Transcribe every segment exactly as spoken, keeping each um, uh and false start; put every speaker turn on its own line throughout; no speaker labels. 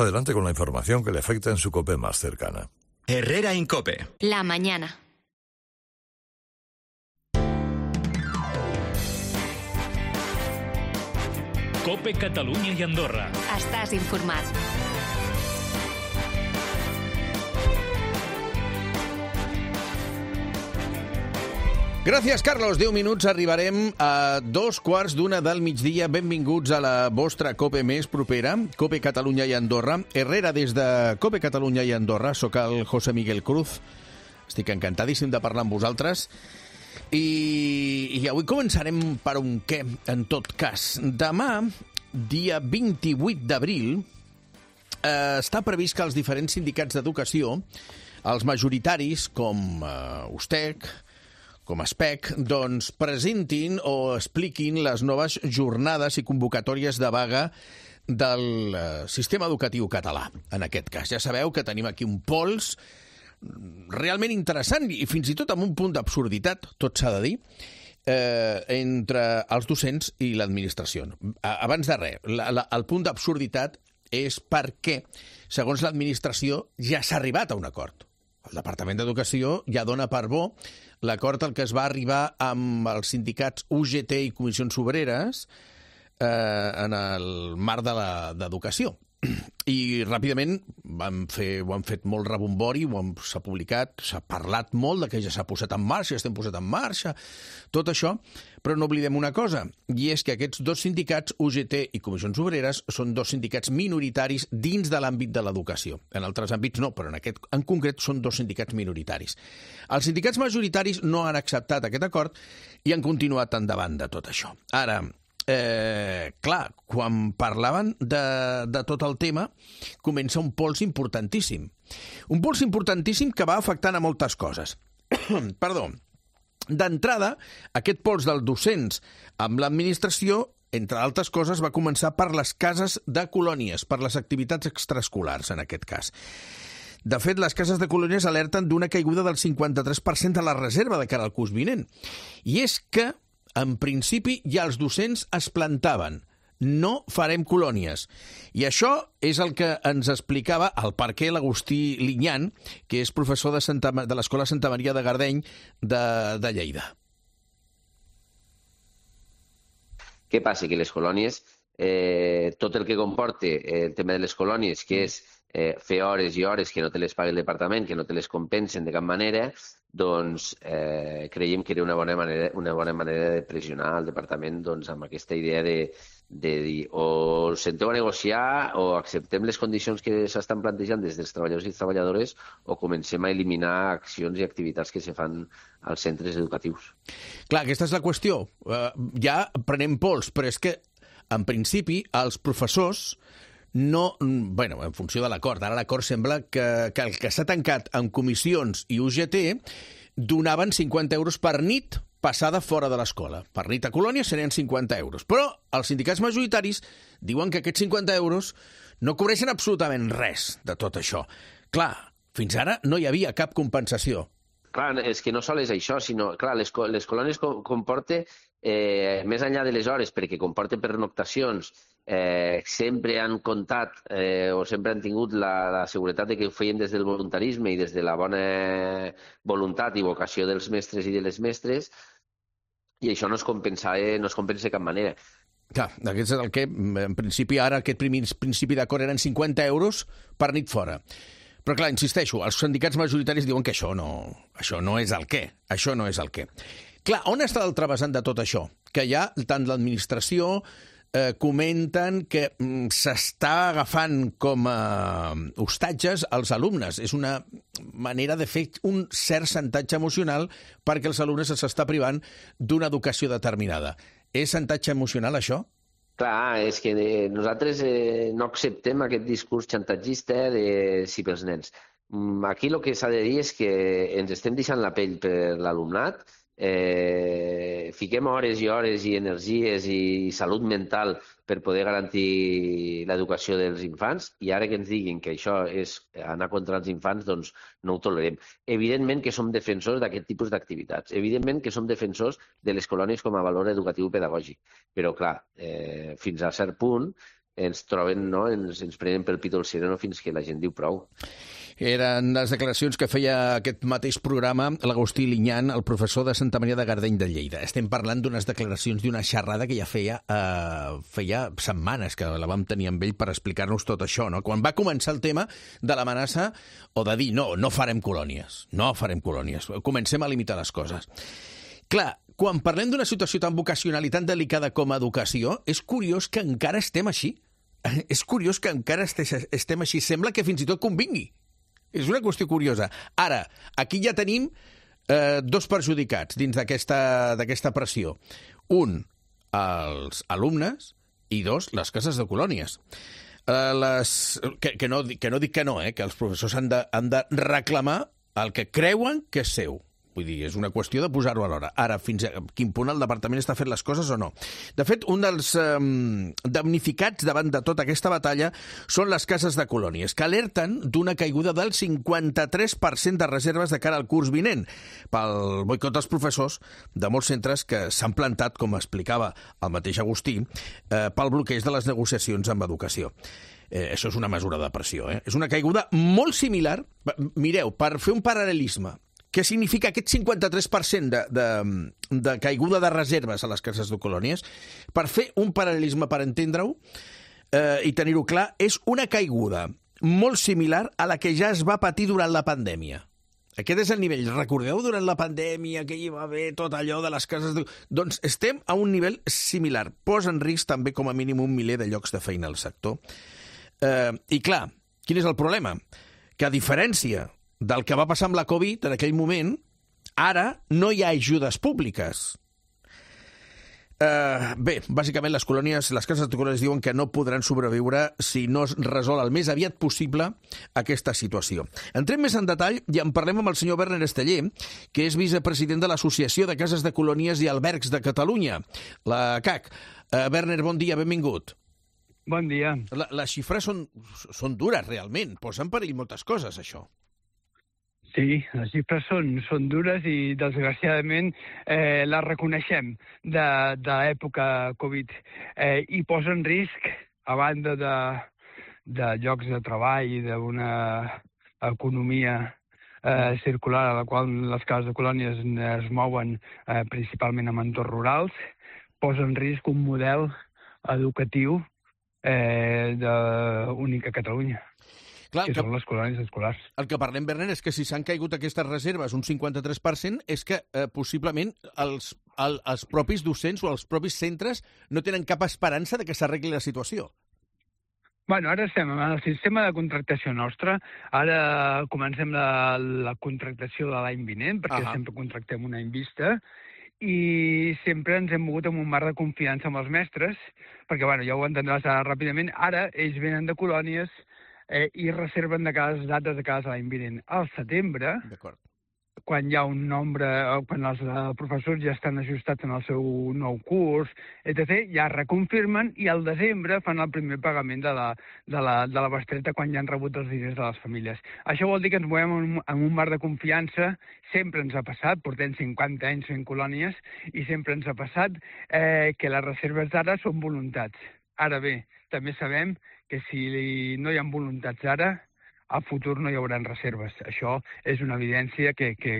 Adelante con la información que le afecta en su COPE más cercana.
Herrera Incope.
La mañana.
COPE Catalunya i Andorra.
Estàs informat.
Gràcies, Carlos. Deu minuts, arribarem a dos quarts d'una del migdia. Benvinguts a la vostra COPE més propera, COPE Catalunya i Andorra. Herrera, des de COPE Catalunya i Andorra. Soc el José Miguel Cruz. Estic encantadíssim de parlar amb vosaltres. I, i avui començarem per un què, en tot cas. Demà, dia vint-i-vuit d'abril, eh, està previst que els diferents sindicats d'educació, els majoritaris, com eh, USTEC, com a S P E C, doncs presentin o expliquin les noves jornades i convocatòries de vaga del eh, sistema educatiu català, en aquest cas. Ja sabeu que tenim aquí un pols realment interessant i fins i tot amb un punt d'absurditat, tot s'ha de dir, eh, entre els docents i l'administració. Abans de res, la, la, el punt d'absurditat és perquè, segons l'administració, ja s'ha arribat a un acord. El Departament d'Educació ja dona per bo l'acord al que es va arribar amb els sindicats U G T i Comissions Obreres eh, en el marc de l'educació. I ràpidament vam fer, ho han fet molt rebombori, s'ha publicat, s'ha parlat molt de que ja s'ha posat en marxa, ja estem posat en marxa, tot això, però no oblidem una cosa, i és que aquests dos sindicats, U G T i Comissions Obreres, són dos sindicats minoritaris dins de l'àmbit de l'educació. En altres àmbits no, però en aquest en concret són dos sindicats minoritaris. Els sindicats majoritaris no han acceptat aquest acord i han continuat endavant de tot això. Ara, Eh, clar, quan parlaven de, de tot el tema, comença un pols importantíssim. Un pols importantíssim que va afectant a moltes coses. Perdó. D'entrada, aquest pols dels docents amb l'administració, entre altres coses, va començar per les cases de colònies, per les activitats extraescolars, en aquest cas. De fet, les cases de colònies alerten d'una caiguda del cinquanta-tres per cent de la reserva de cara al curs vinent. I és que en principi, ja els docents es plantaven. No farem colònies. I això és el que ens explicava el per què l'Agustí Linyan, que és professor de, Santa, de l'Escola Santa Maria de Gardeny de, de Lleida.
Què passa? Que les colònies, eh, tot el que comporta el tema de les colònies, que és eh, fer hores i hores que no te les pagui el departament, que no te les compensen de cap manera, doncs eh, creiem que era una bona manera, una bona manera de pressionar el departament doncs, amb aquesta idea de, de dir o senteu a negociar o acceptem les condicions que s'estan plantejant des dels treballadors i treballadores o comencem a eliminar accions i activitats que se fan als centres educatius.
Clar, aquesta és la qüestió. Uh, ja prenem pols, però és que, en principi, els professors no, bueno, en funció de l'acord. Ara l'acord sembla que, que el que s'ha tancat en comissions i U G T donaven cinquanta euros per nit passada fora de l'escola. Per nit a colònia serien cinquanta euros. Però els sindicats majoritaris diuen que aquests cinquanta euros no cobreixen absolutament res de tot això. Clar, fins ara no hi havia cap compensació.
Clar, és que no sols és això, sinó, clar, les, les colònies comporten, eh, més enllà de les hores, perquè comporten pernoctacions, eh, sempre han comptat eh, o sempre han tingut la, la seguretat de que ho feien des del voluntarisme i des de la bona voluntat i vocació dels mestres i de les mestres, i això no es compensa, eh, no es compensa de cap manera.
Clar, aquest és el que, en principi, ara aquest primer principi d'acord eren cinquanta euros per nit fora. Però clar, insisteixo, els sindicats majoritaris diuen que això no, això no és el què, això no és el què. Clar, on està el travessant de tot això? Que ja tant l'administració eh, comenten que mm, s'està agafant com a hostatges als alumnes. És una manera de fer un cert xantatge emocional perquè els alumnes s'està privant d'una educació determinada. És xantatge emocional, això?
Clar, és que nosaltres eh, no acceptem aquest discurs xantatgista de sí pels nens. Aquí el que s'ha de dir és que ens estem deixant la pell per l'alumnat, eh, fiquem hores i hores i energies i salut mental per poder garantir l'educació dels infants, i ara que ens diguin que això és anar contra els infants, doncs no ho tolerem. Evidentment que som defensors d'aquest tipus d'activitats, evidentment que som defensors de les colònies com a valor educatiu pedagògic, però clar, eh, fins a cert punt ens troben, no? ens, ens prenen pel pit el sereno fins que la gent diu prou.
Eren les declaracions que feia aquest mateix programa l'Agustí Linyan, el professor de Santa Maria de Gardeny de Lleida. Estem parlant d'unes declaracions d'una xerrada que ja feia, eh, feia setmanes que la vam tenir amb ell per explicar-nos tot això, no? Quan va començar el tema de l'amenaça o de dir no, no farem colònies, no farem colònies, comencem a limitar les coses. Clar, quan parlem d'una situació tan vocacional i tan delicada com a educació, és curiós que encara estem així. És curiós que encara estem així. Sembla que fins i tot convingui. És una qüestió curiosa. Ara, aquí ja tenim eh, dos perjudicats dins d'aquesta pressió. Un, els alumnes, i dos, les cases de colònies. Eh, les, que, que, no, que no dic que no, eh, que els professors han de, han de reclamar el que creuen que és seu. Vull dir, és una qüestió de posar-ho a l'hora. Ara, fins a quin punt el departament està fent les coses o no. De fet, un dels eh, damnificats davant de tota aquesta batalla són les cases de colònies, que alerten d'una caiguda del cinquanta-tres per cent de reserves de cara al curs vinent, pel boicot dels professors de molts centres que s'han plantat, com explicava el mateix Agustí, eh, pel bloqueig de les negociacions amb educació. Eh, això és una mesura de pressió, eh? És una caiguda molt similar. Mireu, per fer un paral·lelisme, què significa aquest cinquanta-tres per cent de, de, de caiguda de reserves a les cases de colònies? Per fer un paral·lelisme, per entendre-ho eh, i tenir-ho clar, és una caiguda molt similar a la que ja es va patir durant la pandèmia. Aquest és el nivell. Recordeu durant la pandèmia que hi va haver tot allò de les cases de... Doncs estem a un nivell similar. Posa en risc també com a mínim un miler de llocs de feina al sector. Eh, I clar, quin és el problema? Que a diferència del que va passar amb la Covid en aquell moment, ara no hi ha ajudes públiques. Uh, bé, bàsicament les colònies, les cases de colònies diuen que no podran sobreviure si no es resol el més aviat possible aquesta situació. Entrem més en detall i en parlem amb el senyor Werner Esteller, que és vicepresident de l'Associació de Cases de Colònies i Albergs de Catalunya, la C A C. Uh, Werner, bon dia, benvingut.
Bon dia.
La, les xifres són, són dures, realment. Posa en perill moltes coses, això.
Sí, les xifres són, són dures i, desgraciadament, eh, les reconeixem de, de l'època Covid. Eh, I posa en risc, a banda de, de llocs de treball i d'una economia eh, circular a la qual les cases de colònies es mouen eh, principalment en entorns rurals, posa en risc un model educatiu eh, d'únic a Catalunya. Clar, que, que són les colònies escolars.
El que parlem, Werner, és que si s'han caigut aquestes reserves un cinquanta-tres per cent és que eh, possiblement els, el, els propis docents o els propis centres no tenen cap esperança de que s'arregli la situació.
Bueno, ara estem en el sistema de contractació nostre. Ara comencem la, la contractació de l'any vinent, perquè uh-huh. sempre contractem un any vista, i sempre ens hem mogut amb un marc de confiança amb els mestres, perquè, bueno, ja ho entendràs ara ràpidament, ara ells venen de colònies Eh, i reserven de cada dates de cada l'any vinent. Al setembre, quan hi ha un nombre, quan els eh, professors ja estan ajustats en el seu nou curs, etcètera, ja reconfirmen i al desembre fan el primer pagament de la, de la, de la bestreta quan ja han rebut els diners de les famílies. Això vol dir que ens movem en, en un marc de confiança, sempre ens ha passat, portem cinquanta anys fent colònies, i sempre ens ha passat eh, que les reserves d'ara són voluntats. Ara bé, també sabem que si no hi ha voluntats ara, a futur no hi haurà reserves. Això és una evidència que, que,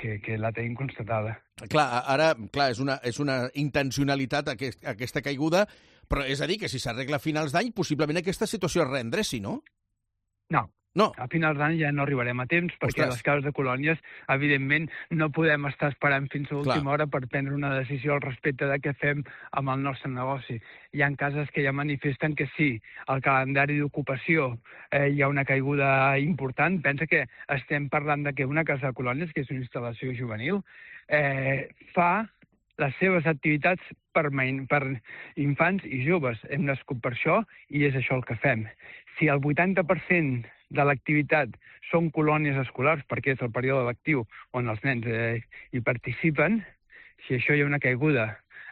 que, que la tenim constatada.
Clar, ara clar, és, una, és una intencionalitat aquest, aquesta caiguda, però és a dir que si s'arregla a finals d'any, possiblement aquesta situació es reendreci, no?
No. No. A finals d'any ja no arribarem a temps, perquè Ostres. les cases de colònies, evidentment, no podem estar esperant fins a l'última hora per prendre una decisió al respecte de què fem amb el nostre negoci. Hi ha cases que ja manifesten que sí, el calendari d'ocupació eh, hi ha una caiguda important. Pensa que estem parlant de que una casa de colònies, que és una instal·lació juvenil, eh, fa les seves activitats per, per infants i joves. Hem nascut per això i és això el que fem. Si el vuitanta per cent de l'activitat són colònies escolars, perquè és el període lectiu on els nens eh, hi participen, si això hi ha una caiguda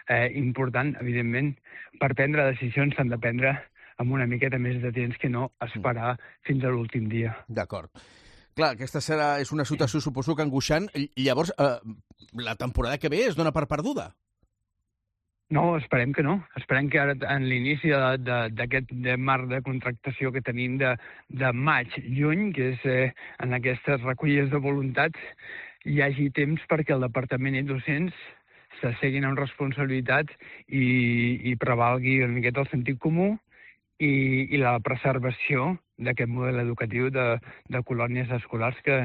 eh, important, evidentment, per prendre decisions s'han de prendre amb una miqueta més de temps que no esperar fins a l'últim dia.
D'acord. Clar, aquesta serà, és una situació, suposo que angoixant. I llavors, eh, la temporada que ve es dona per perduda?
No, esperem que no. Esperem que ara, en l'inici d'aquest marc de contractació que tenim de, de maig-juny, que és eh, en aquestes recollides de voluntats, hi hagi temps perquè el departament i docents s'asseguin amb responsabilitat i, i prevalgui una miqueta el sentit comú i, i la preservació d'aquest model educatiu de, de colònies escolars que,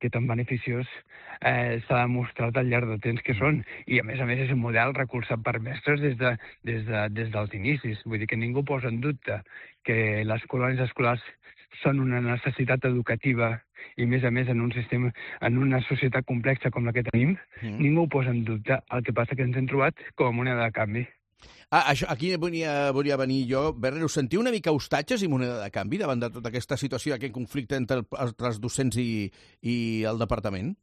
que tan beneficiós eh, s'ha demostrat al llarg de temps que són. I, a més a més, és un model recolzat per mestres des, de, des, de, des dels inicis. Vull dir que ningú posa en dubte que les colònies escolars són una necessitat educativa i, a més a més, en un sistema, en una societat complexa com la que tenim, mm. ningú posa en dubte. El que passa que ens hem trobat com a moneda de canvi.
Ah, això, aquí volia, volia venir jo. Berner, us sentiu una mica hostatges i moneda de canvi davant de tota aquesta situació, aquest conflicte entre, el, entre els docents i, i el departament?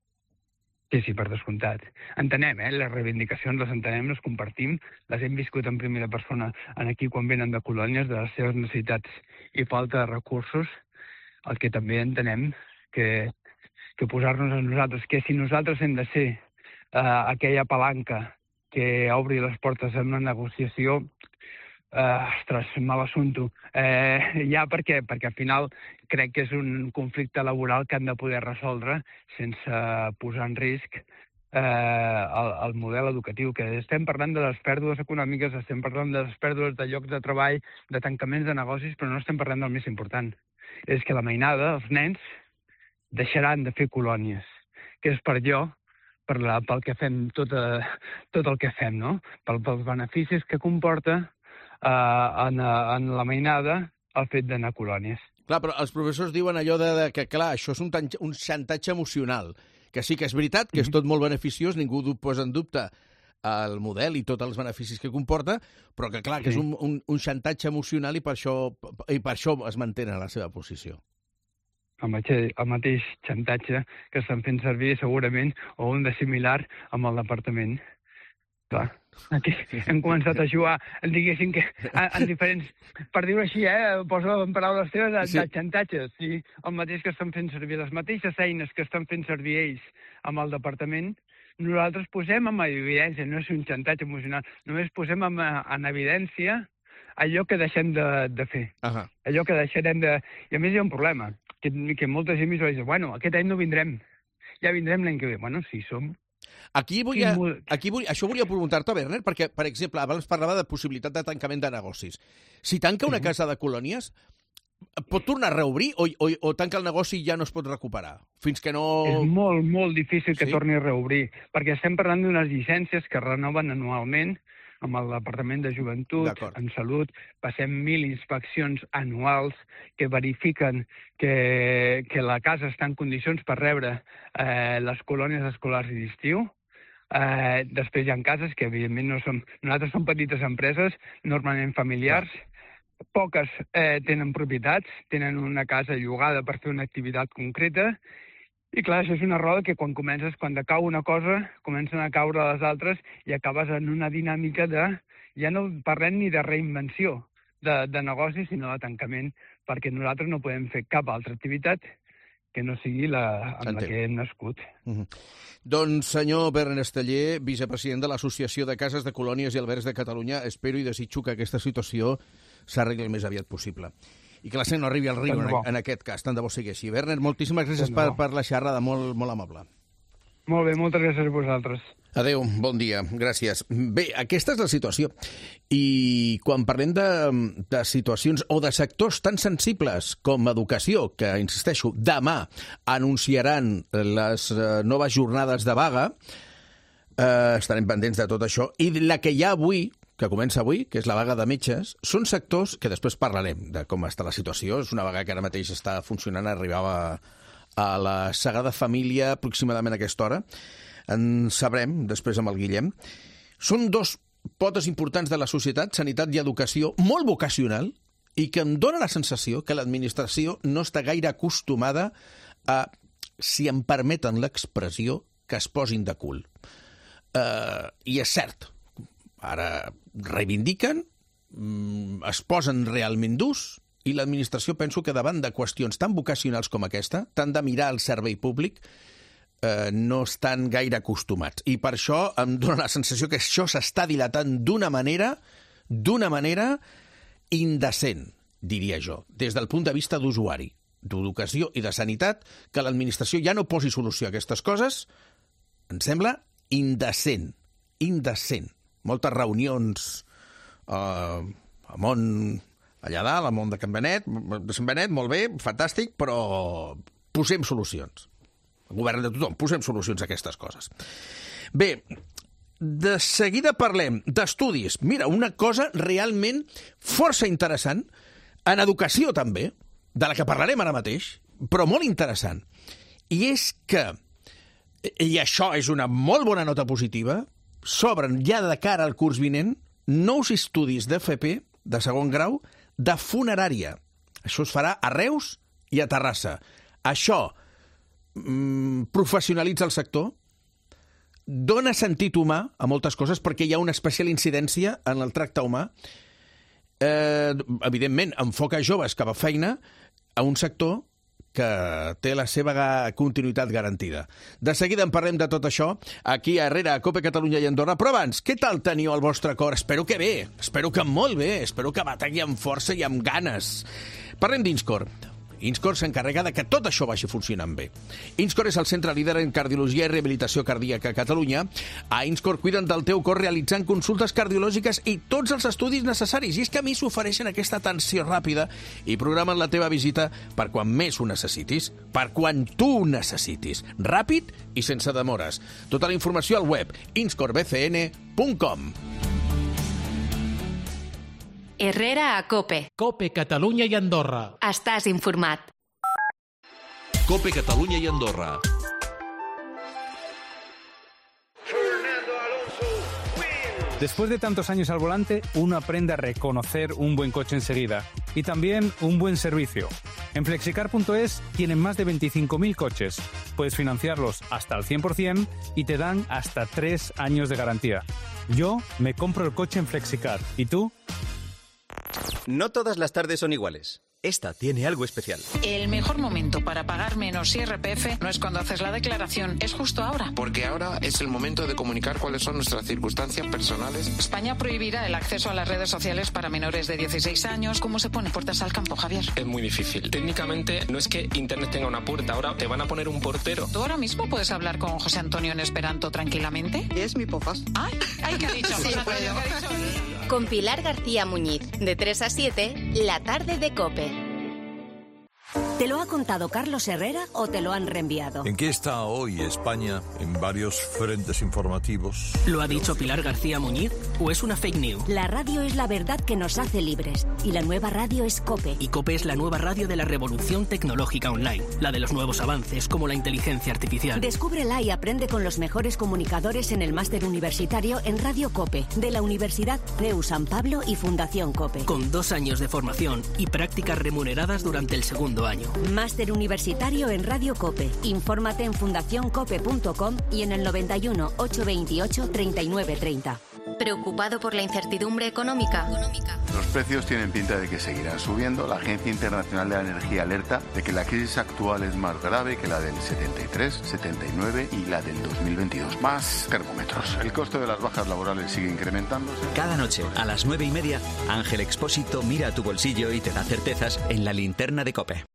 Sí, sí, per descomptat. Entenem, eh? Les reivindicacions les entenem, les compartim, les hem viscut en primera persona en aquí quan venen de colònies, de les seves necessitats i falta de recursos. El que també entenem que, que posar-nos a nosaltres, que si nosaltres hem de ser eh, aquella palanca que obri les portes en una negociació, eh, ostres, mal assumpto. Eh, ja perquè, perquè al final crec que és un conflicte laboral que han de poder resoldre sense posar en risc eh, el, el model educatiu, que estem parlant de les pèrdues econòmiques, estem parlant de les pèrdues de llocs de treball, de tancaments de negocis, però no estem parlant del més important. És que la mainada, els nens, deixaran de fer colònies, que és per allò per la, pel que fem, tot, eh, tot el que fem, no? Pel, pels beneficis que comporta eh, en, en la mainada el fet d'anar a colònies.
Clar, però els professors diuen allò de, de que, clar, això és un, un xantatge emocional, que sí que és veritat, que és tot molt beneficiós, ningú posa en dubte el model i tots els beneficis que comporta, però que, clar, que és un, un, un xantatge emocional i per això, i per això es mantenen a la seva posició.
El mateix, el mateix xantatge que estan fent servir segurament o un de similar amb el departament. Clar, aquí hem començat a jugar, diguéssim que en diferents, per dir-ho així, eh, poso en paraules teves, de, sí. de xantatges. Sí? El mateix que estan fent servir, les mateixes eines que estan fent servir ells amb el departament, nosaltres posem en evidència, no és un xantatge emocional, només posem en, en evidència allò que deixem de, de fer. Uh -huh. Allò que deixarem de... I a més hi ha un problema, que, que molta gent m'hi diu, bueno, aquest any no vindrem, ja vindrem l'any que ve. Bueno, sí, som.
Aquí volia, aquí volia, això volia preguntar-te, Berner, perquè, per exemple, abans parlava de possibilitat de tancament de negocis. Si tanca una casa de colònies, pot tornar a reobrir o, o, o tanca el negoci i ja no es pot recuperar? Fins que no...
És molt, molt difícil que sí? torni a reobrir, perquè estem parlant d'unes llicències que renoven anualment amb el Departament de Joventut, en Salut, passem mil inspeccions anuals que verifiquen que, que la casa està en condicions per rebre eh, les colònies escolars i d'estiu. Eh, després hi ha cases que, evidentment, no som... Nosaltres som petites empreses, normalment familiars, poques eh, tenen propietats, tenen una casa llogada per fer una activitat concreta. I clar, això és una roda que quan comences, quan decau una cosa, comencen a caure les altres i acabes en una dinàmica de... Ja no parlem ni de reinvenció de, de negoci, sinó de tancament, perquè nosaltres no podem fer cap altra activitat que no sigui la amb la que hem nascut.
Mm-hmm. Doncs, senyor Berner Esteller, vicepresident de l'Associació de Cases de Colònies i Albergs de Catalunya, espero i desitjo que aquesta situació s'arregli el més aviat possible. I que la gent no arribi al riu en, en aquest cas, tant de bo sigui així. Berner, moltíssimes gràcies per, per la xerrada, molt, molt amable.
Molt bé, moltes gràcies a vosaltres.
Adéu, bon dia, gràcies. Bé, aquesta és la situació. I quan parlem de, de situacions o de sectors tan sensibles com educació, que, insisteixo, demà anunciaran les noves jornades de vaga, eh, estarem pendents de tot això, i la que hi ha avui, que comença avui, que és la vaga de metges, són sectors que després parlarem de com està la situació. És una vaga que ara mateix està funcionant, arribava a la Sagrada Família aproximadament a aquesta hora. En sabrem després amb el Guillem. Són dos potes importants de la societat, sanitat i educació, molt vocacional, i que em dóna la sensació que l'administració no està gaire acostumada a, si em permeten l'expressió, que es posin de cul. Uh, I és cert, ara reivindiquen, es posen realment durs, i l'administració penso que davant de qüestions tan vocacionals com aquesta, tant de mirar el servei públic, eh, no estan gaire acostumats. I per això em dóna la sensació que això s'està dilatant d'una manera, d'una manera indecent, diria jo, des del punt de vista d'usuari, d'educació i de sanitat, que l'administració ja no posi solució a aquestes coses, em sembla indecent, indecent. Moltes reunions eh, a món allà dalt, al món de Can Benet, de Sant Benet, molt bé, fantàstic, però posem solucions. El govern de tothom, posem solucions a aquestes coses. Bé, de seguida parlem d'estudis. Mira, una cosa realment força interessant, en educació també, de la que parlarem ara mateix, però molt interessant. I és que, i això és una molt bona nota positiva, s'obren ja de cara al curs vinent nous estudis d'F P, de segon grau, de funerària. Això es farà a Reus i a Terrassa. Això mm, professionalitza el sector, dona sentit humà a moltes coses perquè hi ha una especial incidència en el tracte humà. Eh, evidentment, enfoca joves cap a feina a un sector que té la seva continuïtat garantida. De seguida en parlem de tot això aquí a Herrera, a Cope Catalunya i Andorra. Però abans, què tal teniu el vostre cor? Espero que bé, espero que molt bé, espero que bategui amb força i amb ganes. Parlem d'Inscor. Inscor s'encarrega de que tot això vagi funcionant bé. Inscor és el centre líder en cardiologia i rehabilitació cardíaca a Catalunya. A Inscor cuiden del teu cor realitzant consultes cardiològiques i tots els estudis necessaris. I és que a mi s'ofereixen aquesta atenció ràpida i programen la teva visita per quan més ho necessitis, per quan tu ho necessitis. Ràpid i sense demores. Tota la informació al web inscor b c n punt com.
Herrera a Cope.
Cope Catalunya i Andorra.
Estàs informat.
Cope Catalunya i Andorra.
Después de tantos años al volante, uno aprende a reconocer un buen coche enseguida y también un buen servicio. En flexicar punto es tienen más de veinticinco mil coches. Puedes financiarlos hasta el cien por ciento y te dan hasta tres años de garantía. Yo me compro el coche en Flexicar. ¿Y tú?
No todas las tardes son iguales. Esta tiene algo especial.
El mejor momento para pagar menos I R P F no es cuando haces la declaración, es justo ahora.
Porque ahora es el momento de comunicar cuáles son nuestras circunstancias personales.
España prohibirá el acceso a las redes sociales para menores de dieciséis años. ¿Cómo se pone puertas al campo, Javier?
Es muy difícil. Técnicamente no es que Internet tenga una puerta, ahora te van a poner un portero.
¿Tú ahora mismo puedes hablar con José Antonio en esperanto tranquilamente?
Es mi pofas.
Ay, ay, ¿qué ha dicho?
Sí, puedo.
Con Pilar García Muñiz, de tres a siete, la tarde de Cope.
¿Te lo ha contado Carlos Herrera o te lo han reenviado?
¿En qué está hoy España en varios frentes informativos?
¿Lo ha dicho Pilar García Muñiz o es una fake news?
La radio es la verdad que nos hace libres y la nueva radio es Cope.
Y Cope es la nueva radio de la revolución tecnológica online, la de los nuevos avances como la inteligencia artificial.
Descúbrela y aprende con los mejores comunicadores en el máster universitario en Radio Cope, de la Universidad C E U San Pablo y Fundación Cope.
Con dos años de formación y prácticas remuneradas durante el segundo año.
Máster universitario en Radio Cope. Infórmate en fundación cope punto com y en el noventa y uno, ochocientos veintiocho, treinta y nueve treinta.
¿Preocupado por la incertidumbre económica?
Los precios tienen pinta de que seguirán subiendo. La Agencia Internacional de la Energía alerta de que la crisis actual es más grave que la del setenta y tres, setenta y nueve y la del dos mil veintidós. Más termómetros. El costo de las bajas laborales sigue incrementándose.
Cada noche, a las nueve y media, Ángel Expósito mira a tu bolsillo y te da certezas en la linterna de Cope.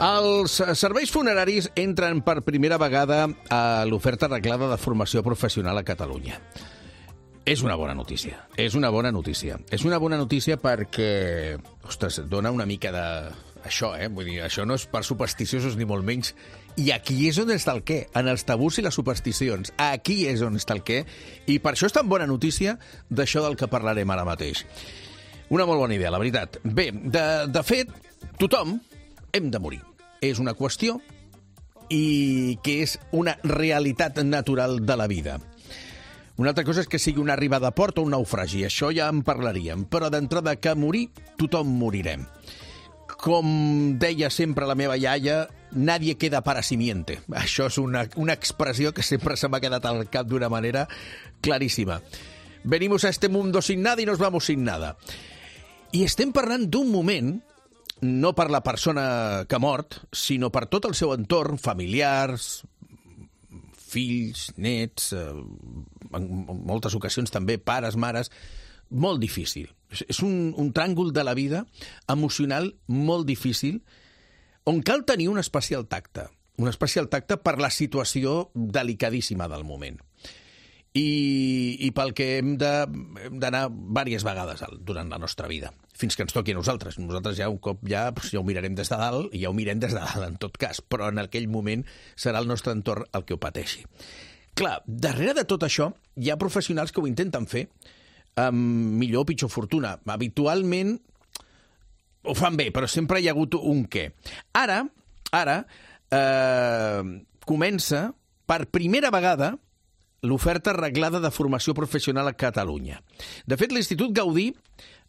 Els serveis funeraris entren per primera vegada a l'oferta reglada de formació professional a Catalunya. És una bona notícia, és una bona notícia. És una bona notícia perquè, ostres, dona una mica de... Això, eh? Vull dir, això no és per supersticiosos ni molt menys. I aquí és on està el què, en els tabús i les supersticions. Aquí és on està el què. I per això és tan bona notícia d'això del que parlarem ara mateix. Una molt bona idea, la veritat. Bé, de, de fet, tothom hem de morir. És una qüestió i que és una realitat natural de la vida. Una altra cosa és que sigui una arribada a port o un naufragi, això ja en parlaríem, però d'entrada que morir, tothom morirem. Com deia sempre la meva iaia, nadie queda para simiente. Això és una, una expressió que sempre se m'ha quedat al cap d'una manera claríssima. Venimos a este mundo sin nada y nos vamos sin nada. I estem parlant d'un moment, no per la persona que ha mort, sinó per tot el seu entorn, familiars, fills, nets, eh, en moltes ocasions també pares, mares, molt difícil. És un, un tràngol de la vida emocional molt difícil, on cal tenir un especial tacte, un especial tacte per la situació delicadíssima del moment. I, i pel que hem d'anar diverses vegades durant la nostra vida, fins que ens toqui a nosaltres. Nosaltres ja un cop ja, ja ho mirarem des de dalt, i ja ho mirem des de dalt en tot cas, però en aquell moment serà el nostre entorn el que ho pateixi. Clar, darrere de tot això hi ha professionals que ho intenten fer amb millor o pitjor fortuna. Habitualment ho fan bé, però sempre hi ha hagut un què. Ara, ara eh, comença per primera vegada l'oferta reglada de formació professional a Catalunya. De fet, l'Institut Gaudí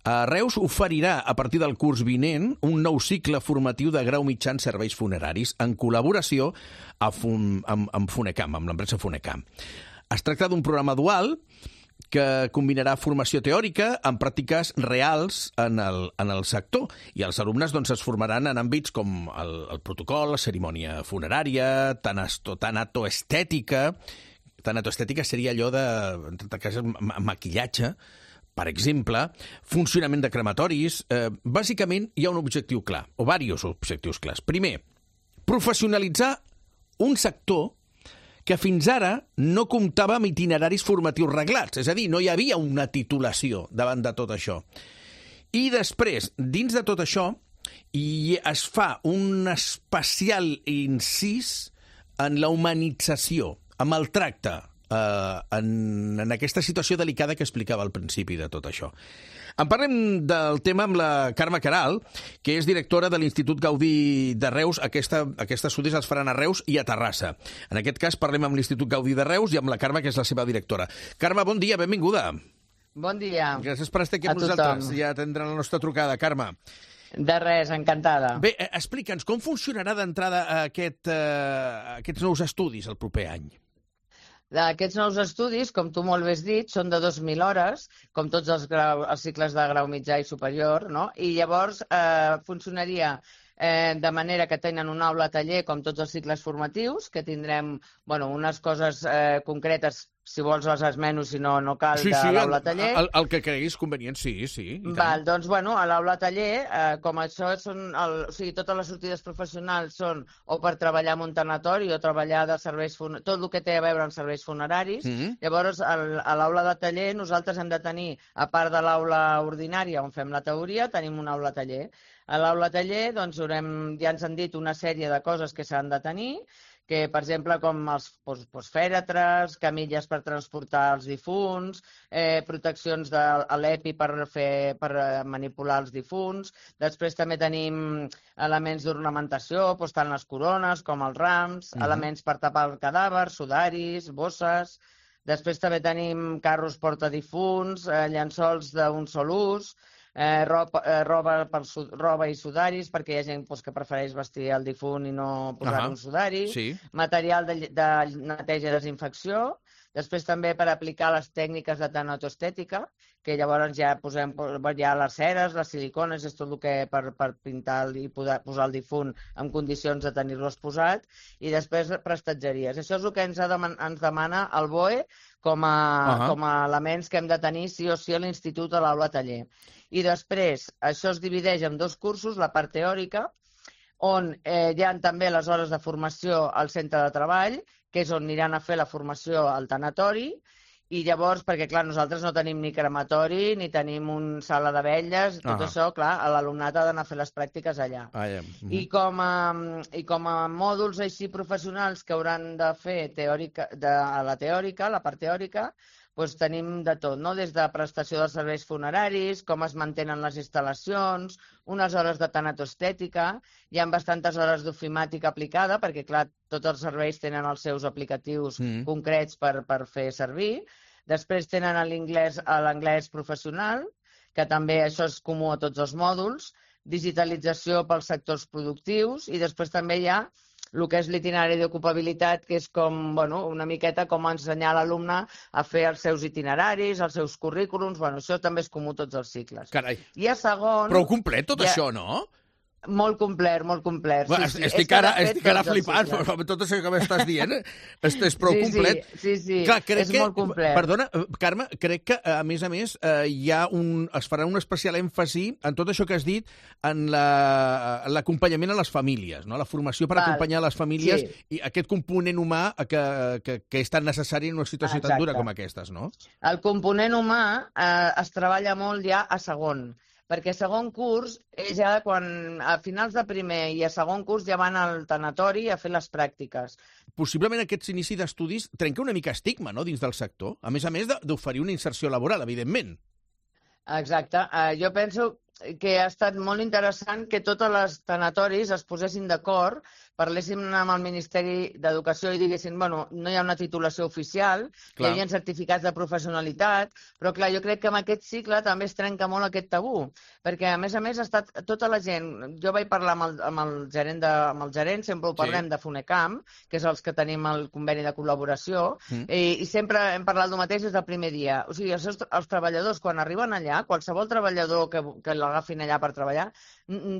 a Reus oferirà a partir del curs vinent un nou cicle formatiu de grau mitjà en serveis funeraris en col·laboració amb, amb, amb Funecam, amb l'empresa Funecam. Es tracta d'un programa dual que combinarà formació teòrica amb pràctiques reals en el, en el sector, i els alumnes doncs, es formaran en àmbits com el, el protocol, la cerimònia funerària, tanatoestètica. Tanatoestètica seria allò de, en tot cas, maquillatge, per exemple, funcionament de crematoris. Eh, bàsicament, hi ha un objectiu clar, o diversos objectius clars. Primer, professionalitzar un sector que fins ara no comptava amb itineraris formatius reglats, és a dir, no hi havia una titulació davant de tot això. I després, dins de tot això, hi es fa un especial incís en la humanització, amb el tracte eh, en, en aquesta situació delicada que explicava al principi de tot això. En parlem del tema amb la Carme Queralt, que és directora de l'Institut Gaudí de Reus. Aquesta, aquests estudis els faran a Reus i a Terrassa. En aquest cas parlem amb l'Institut Gaudí de Reus i amb la Carme, que és la seva directora. Carme, bon dia, benvinguda.
Bon dia.
Gràcies per estar aquí amb nosaltres i atendre la nostra trucada, Carme.
De res, encantada.
Bé, explica'ns, com funcionarà d'entrada aquest, eh, aquests nous estudis el proper any?
Aquests nous estudis, com tu molt bé has dit, són de dos mil hores, com tots els, grau, els cicles de grau mitjà i superior, no? I llavors eh, funcionaria eh, de manera que tenen un aula taller com tots els cicles formatius, que tindrem bueno, unes coses eh, concretes, si vols les esmeno, si no, no cal,
sí,
de
sí,
l'aula taller.
El, el que creguis convenient, sí, sí.
Val, doncs, bueno, a l'aula taller, eh, com això són, el, o sigui, totes les sortides professionals són o per treballar en un tanatori o treballar de serveis funeraris, tot el que té a veure amb serveis funeraris. Mm-hmm. Llavors, el, a l'aula de taller nosaltres hem de tenir, a part de l'aula ordinària on fem la teoria, tenim una aula taller. A l'aula taller, doncs, haurem, ja ens han dit una sèrie de coses que s'han de tenir, que, per exemple, com els fèretres, camilles per transportar els difunts, eh, proteccions de l'EPI per, fer, per manipular els difunts. Després també tenim elements d'ornamentació, doncs, tant les corones com els rams, mm-hmm. elements per tapar el cadàver, sudaris, bosses. Després també tenim carros portadifunts, eh, llençols d'un sol ús, Eh, roba, eh, roba, per, roba i sudaris, perquè hi ha gent pues, que prefereix vestir el difunt i no posar uh-huh. un sudari, sí. Material de, de neteja i desinfecció, després també per aplicar les tècniques de tanatoestètica, que llavors ja posem ja les ceres, les silicones, és tot el que per, per pintar i poder posar el difunt en condicions de tenir-lo exposat, i després prestatgeries. Això és el que ens, ha deman ens demana el B O E com a, uh-huh. com a elements que hem de tenir sí o sí a l'institut a l'aula taller. I després, això es divideix en dos cursos, la part teòrica, on eh, hi ha també les hores de formació al centre de treball, que és on aniran a fer la formació al tanatori, i llavors, perquè clar, nosaltres no tenim ni crematori, ni tenim una sala de vetlles, tot uh-huh. això, clar, l'alumnat ha d'anar a fer les pràctiques allà. Ah, ja. uh-huh. I, com a, I com a mòduls així professionals que hauran de fer teòrica, de, a la teòrica, la part teòrica, doncs tenim de tot, no? Des de prestació dels serveis funeraris, com es mantenen les instal·lacions, unes hores de tanatoestètica, hi ha bastantes hores d'ofimàtica aplicada, perquè, clar, tots els serveis tenen els seus aplicatius mm. concrets per, per fer servir. Després tenen l'anglès professional, que també això és comú a tots els mòduls, digitalització pels sectors productius, i després també hi ha el que és l'itinerari d'ocupabilitat, que és com, bueno, una miqueta com ensenyar a l'alumne a fer els seus itineraris, els seus currículums, bueno, això també és comú a tots els cicles.
Carai.
I a segon...
Prou complet tot
ha...
això, no?
Molt complet, molt complet.
Bueno, sí, sí. Estic ara, estic ara flipant, però tot això que m'estàs dient és, és prou
sí,
complet.
Sí, sí, sí.
Clar, crec
és
que,
molt complet.
Perdona, Carme, crec que, a més a més, eh, hi ha un, es farà un especial èmfasi en tot això que has dit, en l'acompanyament la, a les famílies, no? La formació per Val. acompanyar les famílies sí. i aquest component humà que, que, que és tan necessari en una situació Exacte. tan dura com aquestes, no?
El component humà eh, es treballa molt ja a segon, perquè a segon curs, ja quan a finals de primer i a segon curs ja van al tanatori a fer les pràctiques.
Possiblement aquest inici d'estudis trenca una mica estigma, no?, dins del sector, a més a més d'oferir una inserció laboral, evidentment.
Exacte. Uh, jo penso que ha estat molt interessant que totes les tanatoris es posessin d'acord, parléssim amb el Ministeri d'Educació i diguessin, bueno, no hi ha una titulació oficial, clar. Hi havia certificats de professionalitat, però clar, jo crec que amb aquest cicle també es trenca molt aquest tabú, perquè a més a més ha estat tota la gent, jo vaig parlar amb el, amb el gerent, de, amb el gerent sempre ho parlem sí. de FUNECAM, que és els que tenim el conveni de col·laboració, mm. i, i sempre hem parlat del mateix des del primer dia. O sigui, els, seus, els treballadors, quan arriben allà, qualsevol treballador que, que l'agafin allà per treballar,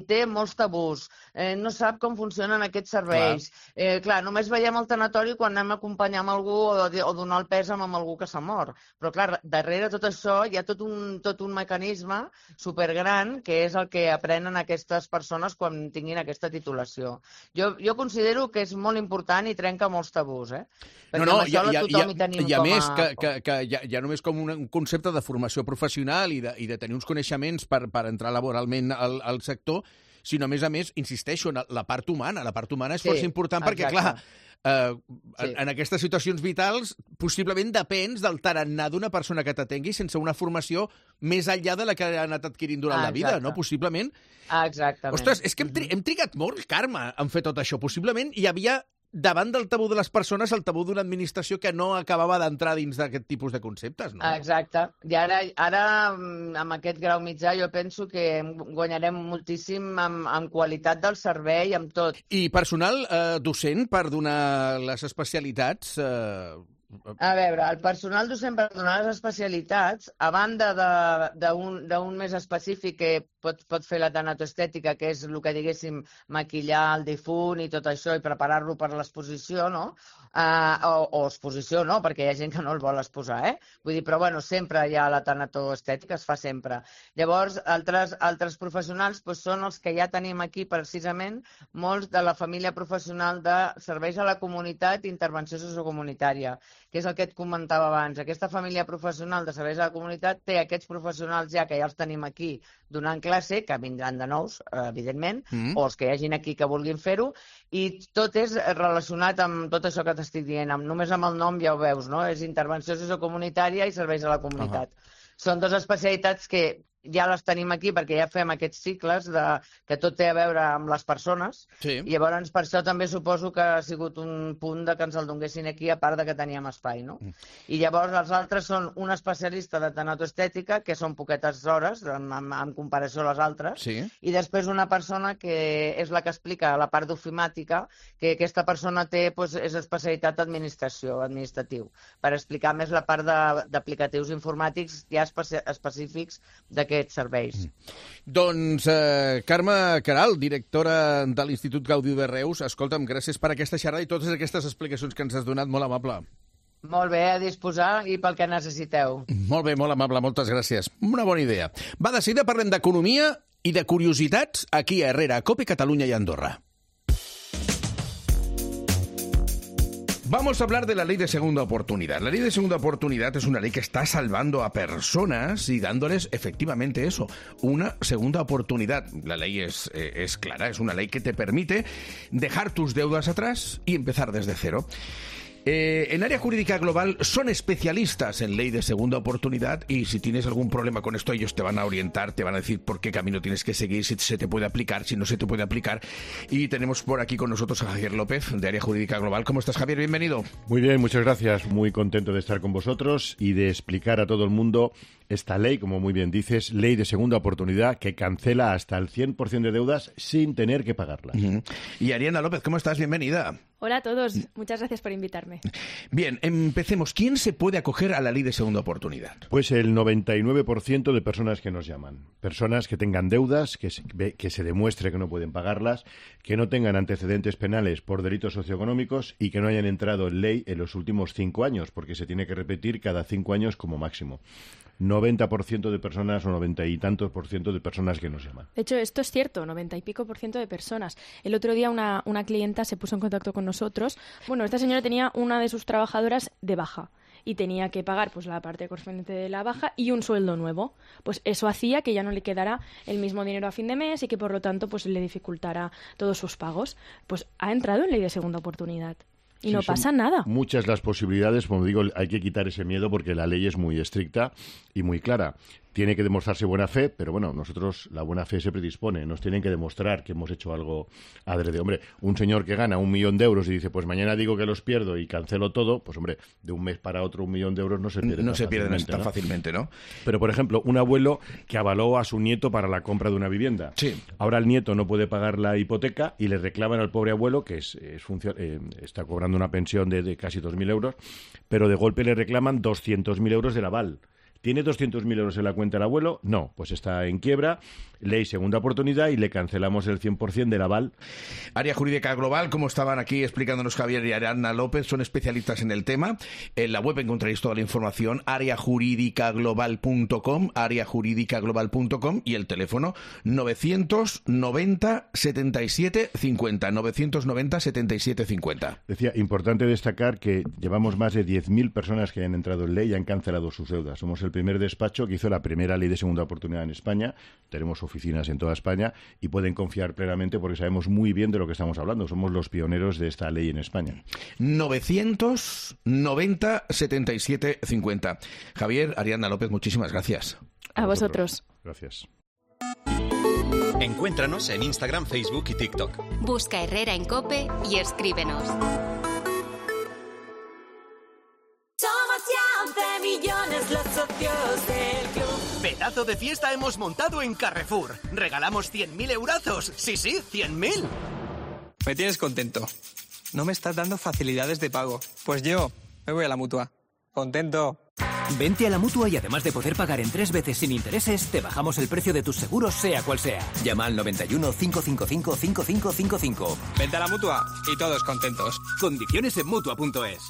té molts tabús, eh, no sap com funcionen aquests serveis. Clar. Eh, clar, només veiem el tanatori quan anem a acompanyar amb algú o, o donar el pes amb algú que s'ha mort. Però clar, darrere tot això hi ha tot un, tot un mecanisme supergran que és el que aprenen aquestes persones quan tinguin aquesta titulació. Jo, jo considero que és molt important i trenca molts tabús, eh? Perquè
no, no,
amb això
hi ha,
tothom
hi ha,
hi tenim
hi ha
com a...
més que, que, que ja, ja només com un, un concepte de formació professional i de, i de tenir uns coneixements per, per entrar laboralment al, al sector, sinó, a més a més, insisteixo, en la part humana. La part humana és sí, força important perquè, exacte. clar, eh, sí. en, en aquestes situacions vitals possiblement depens del tarannà d'una persona que t'atengui sense una formació més enllà de la que ha anat adquirint durant ah, la vida, no? Possiblement.
Ah, exactament.
Ostres, és que hem, tri hem trigat molt, Carme, en fer tot això. Possiblement hi havia davant del tabú de les persones, el tabú d'una administració que no acabava d'entrar dins d'aquest tipus de conceptes, no?
Exacte. I ara, ara amb aquest grau mitjà, jo penso que guanyarem moltíssim en, en qualitat del servei, amb tot.
I personal eh, docent per donar les especialitats... Eh...
A veure, el personal docent per donar les especialitats, a banda d'un més específic que pot, pot fer la tanatoestètica, que és el que diguéssim maquillar el difunt i tot això i preparar-lo per l'exposició, no? Uh, o, o exposició, no? Perquè hi ha gent que no el vol exposar, eh? Vull dir, però bueno, sempre hi ha la tanatoestètica, es fa sempre. Llavors, altres, altres professionals doncs, són els que ja tenim aquí precisament molts de la família professional de serveis a la comunitat i intervenció sociocomunitària, que és el que et comentava abans. Aquesta família professional de serveis a la comunitat té aquests professionals ja que ja els tenim aquí donant classe, que vindran de nous, evidentment, mm. o els que hi hagin aquí que vulguin fer-ho, i tot és relacionat amb tot això que t'estic dient. Amb, només amb el nom ja ho veus, no? És intervenció sociocomunitària i serveis a la comunitat. Uh -huh. Són dues especialitats que ja les tenim aquí perquè ja fem aquests cicles de, que tot té a veure amb les persones. Sí. I llavors per això també suposo que ha sigut un punt de que ens el donguessin aquí, a part de que teníem espai, no? Mm. I llavors els altres són un especialista de tanatoestètica, que són poquetes hores en, en, en comparació a les altres, sí. I després una persona que és la que explica la part d'ofimàtica, que aquesta persona té, doncs, és especialitat d'administració, administratiu, per explicar més la part d'aplicatius informàtics ja especi específics d'aquest serveis. Mm.
Doncs, eh, Carme Queralt, directora de l'Institut Gaudí de Reus, escolta'm, gràcies per aquesta xerrada i totes aquestes explicacions que ens has donat, molt amable.
Molt bé, a disposar i pel que necessiteu.
Molt bé, molt amable, moltes gràcies. Una bona idea. Va, de seguida parlem d'economia i de curiositats aquí a Herrera, a COPE, Catalunya i Andorra. Vamos a hablar de la ley de segunda oportunidad. La ley de segunda oportunidad es una ley que está salvando a personas y dándoles efectivamente eso, una segunda oportunidad. La ley es, eh, es clara, es una ley que te permite dejar tus deudas atrás y empezar desde cero. Eh, en Área Jurídica Global son especialistas en ley de segunda oportunidad y si tienes algún problema con esto, ellos te van a orientar, te van a decir por qué camino tienes que seguir, si se te puede aplicar, si no se te puede aplicar. Y tenemos por aquí con nosotros a Javier López, de Área Jurídica Global. ¿Cómo estás, Javier? Bienvenido.
Muy bien, muchas gracias. Muy contento de estar con vosotros y de explicar a todo el mundo esta ley, como muy bien dices, ley de segunda oportunidad, que cancela hasta el cien por ciento de deudas sin tener que pagarlas. Uh-huh.
Y Ariana López, ¿cómo estás? Bienvenida.
Hola a todos, muchas gracias por invitarme.
Bien, empecemos. ¿Quién se puede acoger a la ley de segunda oportunidad?
Pues el noventa y nueve por ciento de personas que nos llaman. Personas que tengan deudas, que se, que se demuestre que no pueden pagarlas, que no tengan antecedentes penales por delitos socioeconómicos y que no hayan entrado en ley en los últimos cinco años, porque se tiene que repetir cada cinco años como máximo. noventa por ciento de personas o noventa y tantos por ciento de personas que nos llaman.
De hecho, esto es cierto, noventa y pico por ciento de personas. El otro día una, una clienta se puso en contacto con nosotros. Bueno, esta señora tenía una de sus trabajadoras de baja y tenía que pagar pues la parte correspondiente de la baja y un sueldo nuevo. Pues eso hacía que ya no le quedara el mismo dinero a fin de mes y que por lo tanto pues le dificultara todos sus pagos. Pues ha entrado en ley de segunda oportunidad. Y sí, no pasa nada.
Muchas las posibilidades, como digo, hay que quitar ese miedo porque la ley es muy estricta y muy clara. Tiene que demostrarse buena fe, pero bueno, nosotros la buena fe se predispone. Nos tienen que demostrar que hemos hecho algo adrede. Hombre, un señor que gana un millón de euros y dice, pues mañana digo que los pierdo y cancelo todo, pues hombre, de un mes para otro un millón de euros no se pierde
No
tan
se pierden
fácilmente,
tan
¿no?
fácilmente, ¿no?
Pero, por ejemplo, un abuelo que avaló a su nieto para la compra de una vivienda.
Sí.
Ahora el nieto no puede pagar la hipoteca y le reclaman al pobre abuelo, que es, es funcio- eh, está cobrando una pensión de, de casi dos mil euros, pero de golpe le reclaman doscientos mil euros del aval. ¿Tiene doscientos mil euros en la cuenta el abuelo? No, pues está en quiebra, ley segunda oportunidad y le cancelamos el cien por ciento del aval.
Área Jurídica Global, como estaban aquí explicándonos Javier y Ariana López, son especialistas en el tema. En la web encontraréis toda la información, área jurídica global punto com, área jurídica global punto com y el teléfono novecientos noventa setenta y siete cincuenta, novecientos noventa setenta y siete cincuenta.
Decía, importante destacar que llevamos más de diez mil personas que han entrado en ley y han cancelado sus deudas. Somos el primer despacho que hizo la primera ley de segunda oportunidad en España. Tenemos oficinas en toda España y pueden confiar plenamente porque sabemos muy bien de lo que estamos hablando. Somos los pioneros de esta ley en España.
novecientos noventa setenta y siete cincuenta. Javier, Ariana López, muchísimas gracias.
A, a vosotros.
Gracias.
Encuéntranos en Instagram, Facebook y TikTok.
Busca Herrera en COPE y escríbenos.
Somos ya once millones los socios del club.
Pedazo de fiesta hemos montado en Carrefour. Regalamos cien mil eurazos. Sí, sí, cien mil.
Me tienes contento. No me estás dando facilidades de pago. Pues yo me voy a la Mutua. Contento.
Vente a la Mutua y además de poder pagar en tres veces sin intereses, te bajamos el precio de tus seguros, sea cual sea. Llama al noventa y uno, cinco cinco cinco, cinco cinco cinco cinco.
Vente a la Mutua y todos contentos.
Condiciones en Mutua punto es.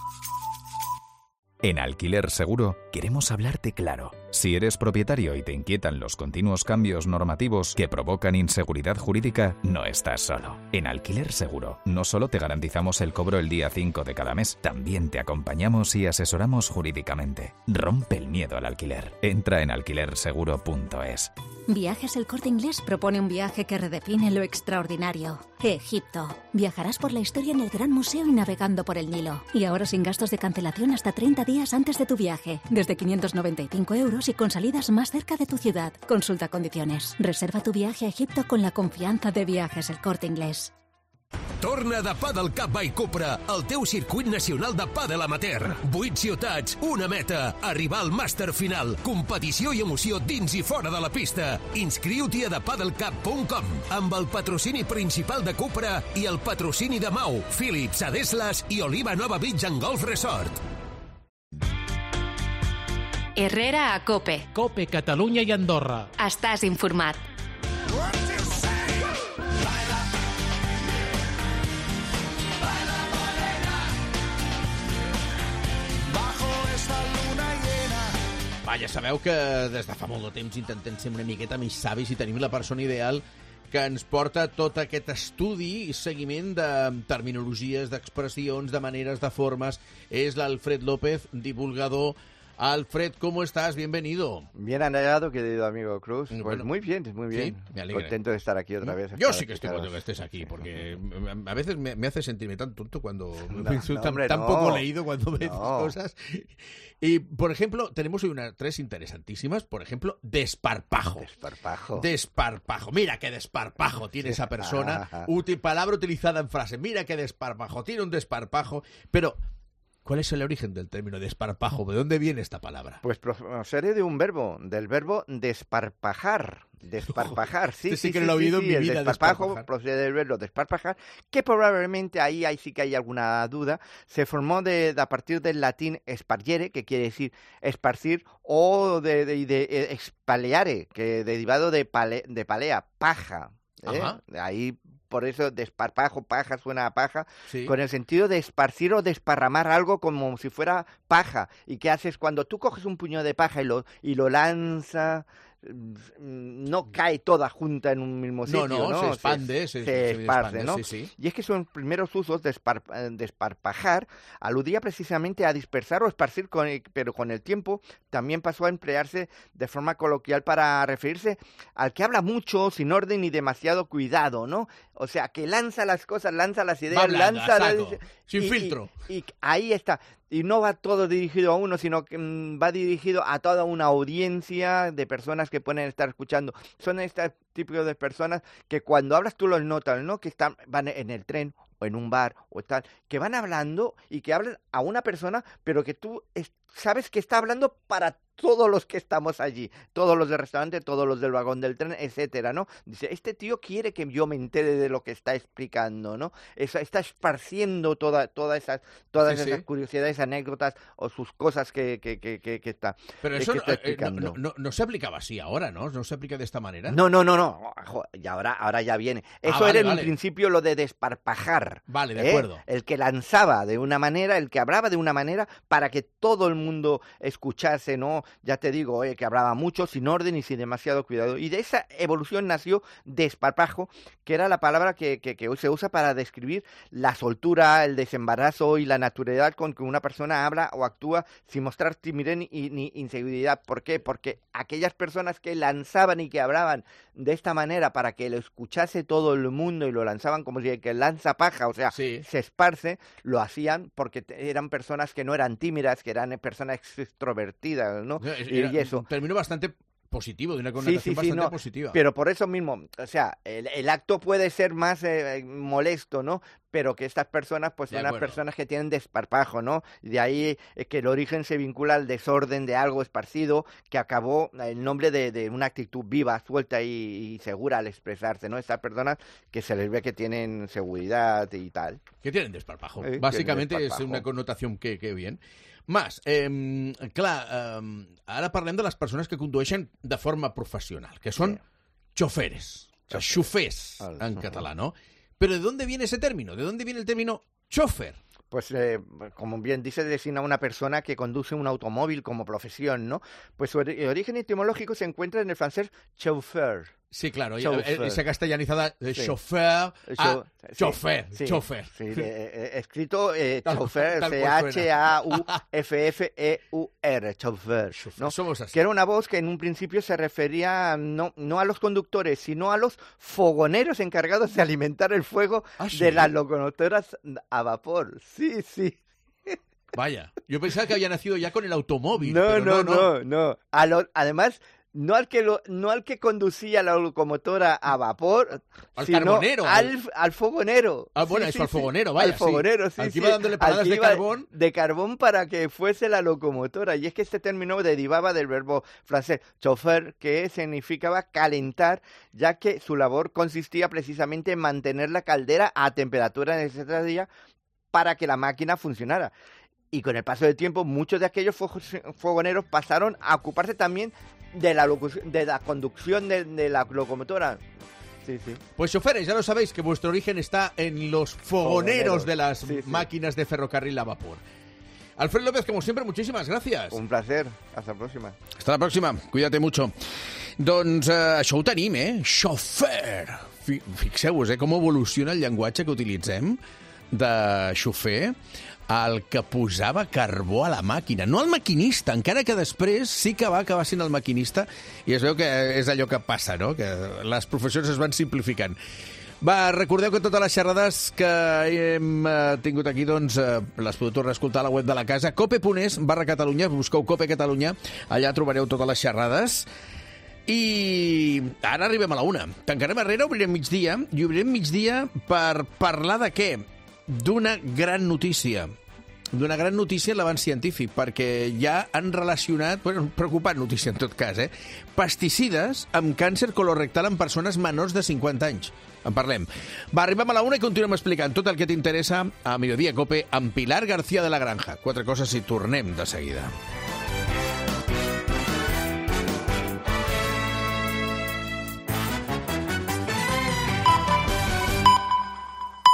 En Alquiler Seguro queremos hablarte claro. Si eres propietario y te inquietan los continuos cambios normativos que provocan inseguridad jurídica, no estás solo. En Alquiler Seguro no solo te garantizamos el cobro el día cinco de cada mes, también te acompañamos y asesoramos jurídicamente. Rompe el miedo al alquiler. Entra en alquiler seguro punto es.
Viajes El Corte Inglés propone un viaje que redefine lo extraordinario. Egipto. Viajarás por la historia en el Gran Museo y navegando por el Nilo. Y ahora sin gastos de cancelación hasta treinta días antes de tu viaje. Desde quinientos noventa y cinco euros y con salidas más cerca de tu ciudad. Consulta condiciones. Reserva tu viaje a Egipto con la confianza de Viajes El Corte Inglés.
Torna de Padel Cup by Cupra, el teu circuit nacional de pàdel amateur. Vuit ciutats, una meta, arribar al màster final. Competició i emoció dins i fora de la pista. Inscriu-t'hi a the padel cup punt com amb el patrocini principal de Cupra i el patrocini de Mau, Philips, Adeslas i Oliva Nova Beach and Golf Resort.
Herrera a COPE.
COPE, Catalunya i Andorra.
Estàs informat.
Va, ja sabeu que des de fa molt de temps intentem ser una miqueta més savis i tenim la persona ideal que ens porta tot aquest estudi i seguiment de terminologies, d'expressions, de maneres, de formes. És l'Alfred López, divulgador Alfred, ¿cómo estás? Bienvenido.
Bien hallado, querido amigo Cruz. Pues
Bueno.
muy bien, muy bien.
Sí, me alegra.
Contento de estar aquí otra vez.
Yo
estar
sí que estoy
aquí,
contento que estés aquí, porque a veces me, me hace sentirme tan tonto cuando
No,
me soy
no,
tan,
hombre,
tan
no.
poco leído cuando veo
No.
cosas. Y, por ejemplo, tenemos hoy unas tres interesantísimas. Por ejemplo, desparpajo.
Desparpajo.
Desparpajo. Mira qué desparpajo tiene esa persona. Útil palabra utilizada en frase. Mira qué desparpajo. Tiene un desparpajo. Pero, ¿cuál es el origen del término desparpajo? ¿De dónde viene esta palabra?
Pues procede de un verbo, del verbo desparpajar. Desparpajar, sí,
Este sí
sí,
que
sí,
no lo he
sí,
oído en
sí,
mi
el
vida,
desparpajo
desparpajar.
procede del verbo desparpajar, que probablemente ahí, ahí sí que hay alguna duda. Se formó de, de- a partir del latín spargere, que quiere decir esparcir, o de, de, de, eh, expaleare, que derivado de, pale, de palea, paja. ¿eh?
Ajá.
Ahí por eso desparpajo, paja, suena a paja,
Sí.
con el sentido de esparcir o desparramar algo como si fuera paja. ¿Y qué haces cuando tú coges un puño de paja y lo, y lo lanzas? No cae toda junta en un mismo sitio,
No,
¿no?
no, se expande, se-
se,
se
esparce,
expande,
¿no?
sí, sí.
Y es que sus primeros usos de espar- eh, desparpajar aludía precisamente a dispersar o esparcir, con el- pero con el tiempo también pasó a emplearse de forma coloquial para referirse al que habla mucho, sin orden y demasiado cuidado, ¿no? O sea, que lanza las cosas, lanza las ideas,
hablando,
lanza...
a
las-
saco, sin
y- y-
filtro.
Y, ahí está. Y no va todo dirigido a uno, sino que mm, va dirigido a toda una audiencia de personas que pueden estar escuchando. Son este tipo de personas que cuando hablas tú los notas, ¿no? Que están, van en el tren o en un bar o tal, que van hablando y que hablan a una persona, pero que tú es- sabes que está hablando para todos los que estamos allí, todos los del restaurante, todos los del vagón del tren, etcétera, ¿no? Dice, este tío quiere que yo me entere de lo que está explicando, ¿no? Eso, está esparciendo toda, todas esas, todas
Sí,
esas
sí.
curiosidades, anécdotas o sus cosas que, que, que, que, que está,
Pero
eh,
eso
que
no,
está
eh,
explicando.
no, no- no se aplicaba así ahora, ¿no? No se aplica de esta manera.
No, no, no, no. Jo, y ahora, ahora ya viene.
Ah,
Eso
vale,
era en
vale.
un principio lo de desparpajar.
Vale, de
¿eh?
acuerdo.
El que lanzaba de una manera, el que hablaba de una manera para que todo el mundo escuchase, ¿no? Ya te digo, eh, que hablaba mucho, sin orden y sin demasiado cuidado. Y de esa evolución nació desparpajo, que era la palabra que, que, que hoy se usa para describir la soltura, el desembarazo y la naturalidad con que una persona habla o actúa sin mostrar timidez ni, ni inseguridad. ¿Por qué? Porque aquellas personas que lanzaban y que hablaban de esta manera para que lo escuchase todo el mundo y lo lanzaban como si el que lanza paja, o sea, se esparce, lo hacían porque te- eran personas que no eran tímidas, que eran personas extrovertidas, ¿no?
No, es-
Y-
era
y eso.
un término bastante positivo, de una
Sí,
connotación
sí, sí,
bastante
no,
positiva.
pero por eso mismo, o sea, el, el acto puede ser más eh, molesto, ¿no? Pero que estas personas, pues
De
son las
acuerdo.
personas que tienen desparpajo, ¿no? Y de ahí es que el origen se vincula al desorden de algo esparcido que acabó el nombre de, de una actitud viva, suelta y, y segura al expresarse, ¿no? Estas personas que se les ve que tienen seguridad y tal.
Que tienen desparpajo.
Eh,
Bàsicamente
tienen
és
desparpajo.
una connotació que, que bien. Mas, eh, clar, eh, ara parlem de les persones que condueixen de forma professional, que són choferes, o sea, xofers en català, ¿no? Pero ¿de dónde viene ese término? ¿De dónde viene el término chofer?
Pues, eh, como bien dice, designa a una persona que conduce un automóvil como profesión, ¿no? Pues su ori- origen etimológico se encuentra en el francés chauffeur.
Sí, claro,
Chauffeur.
esa castellanizada de
Sí.
chofer
El
a
chau- sí,
chofer,
sí,
chofer.
sí, de- eh, escrito eh,
Tal-
chauffeur,
tal
C
cual
H A U F F E U R, chauffeur, ¿no?
Somos así.
Que era una voz que en un principio se refería no, no a los conductores, sino a los fogoneros encargados de alimentar el fuego
¿Ah, sí?
de las locomotoras a vapor. Sí, sí.
Vaya, yo pensaba que había nacido ya con el automóvil.
No,
pero
no,
no,
no, no. A lo- además, no al que lo, no al que conducía la locomotora a vapor,
Al
sino
carbonero.
al, al fogonero.
Ah, bueno,
Sí,
eso,
sí,
al
sí.
fogonero, vaya,
Al fogonero,
sí.
sí,
Al que
sí.
iba dándole
Al
paradas
que
de
iba
carbón.
De carbón para que fuese la locomotora. Y es que este término derivaba del verbo francés chauffeur, que significaba calentar, ya que su labor consistía precisamente en mantener la caldera a temperatura necesaria para que la máquina funcionara. Y con el paso del tiempo, muchos de aquellos fo- fogoneros pasaron a ocuparse también de la, locu- de la conducción de, de la locomotora. Sí, sí.
Pues choferes, ya lo sabéis que vuestro origen está en los fogoneros,
Fogoneros,
de las
sí, sí.
máquinas de ferrocarril a vapor. Alfred López, como siempre, muchísimas gracias.
Un placer. Hasta la próxima.
Hasta la pròxima. Cuídate mucho. Doncs eh, això ho tenim, eh? Xofer. Fi- Fixeu-vos, eh? Com evoluciona el llenguatge que utilitzem. de xofer el que posava carbó a la màquina. No el maquinista, encara que després sí que va acabar sent el maquinista, i es veu que és allò que passa, no? Que les professions es van simplificant. Va, recordeu que totes les xerrades que hem eh, tingut aquí, doncs, eh, les podeu tornar a escoltar a la web de la casa, cope punt es barra Catalunya, busqueu Cope Catalunya, allà trobareu totes les xerrades. I ara arribem a la una. Tancarem arrere, obrirem migdia, i obrirem migdia per parlar de què? D'una gran notícia. D'una gran notícia en l'avanç científic, perquè ja han relacionat, bueno, preocupant notícia en tot cas, eh? Pesticides amb càncer colorectal en persones menors de cinquanta anys. En parlem. Va, arribem a la una i continuem explicant tot el que t'interessa a Mediodía Cope amb Pilar García de la Granja. Quatre coses i tornem de seguida.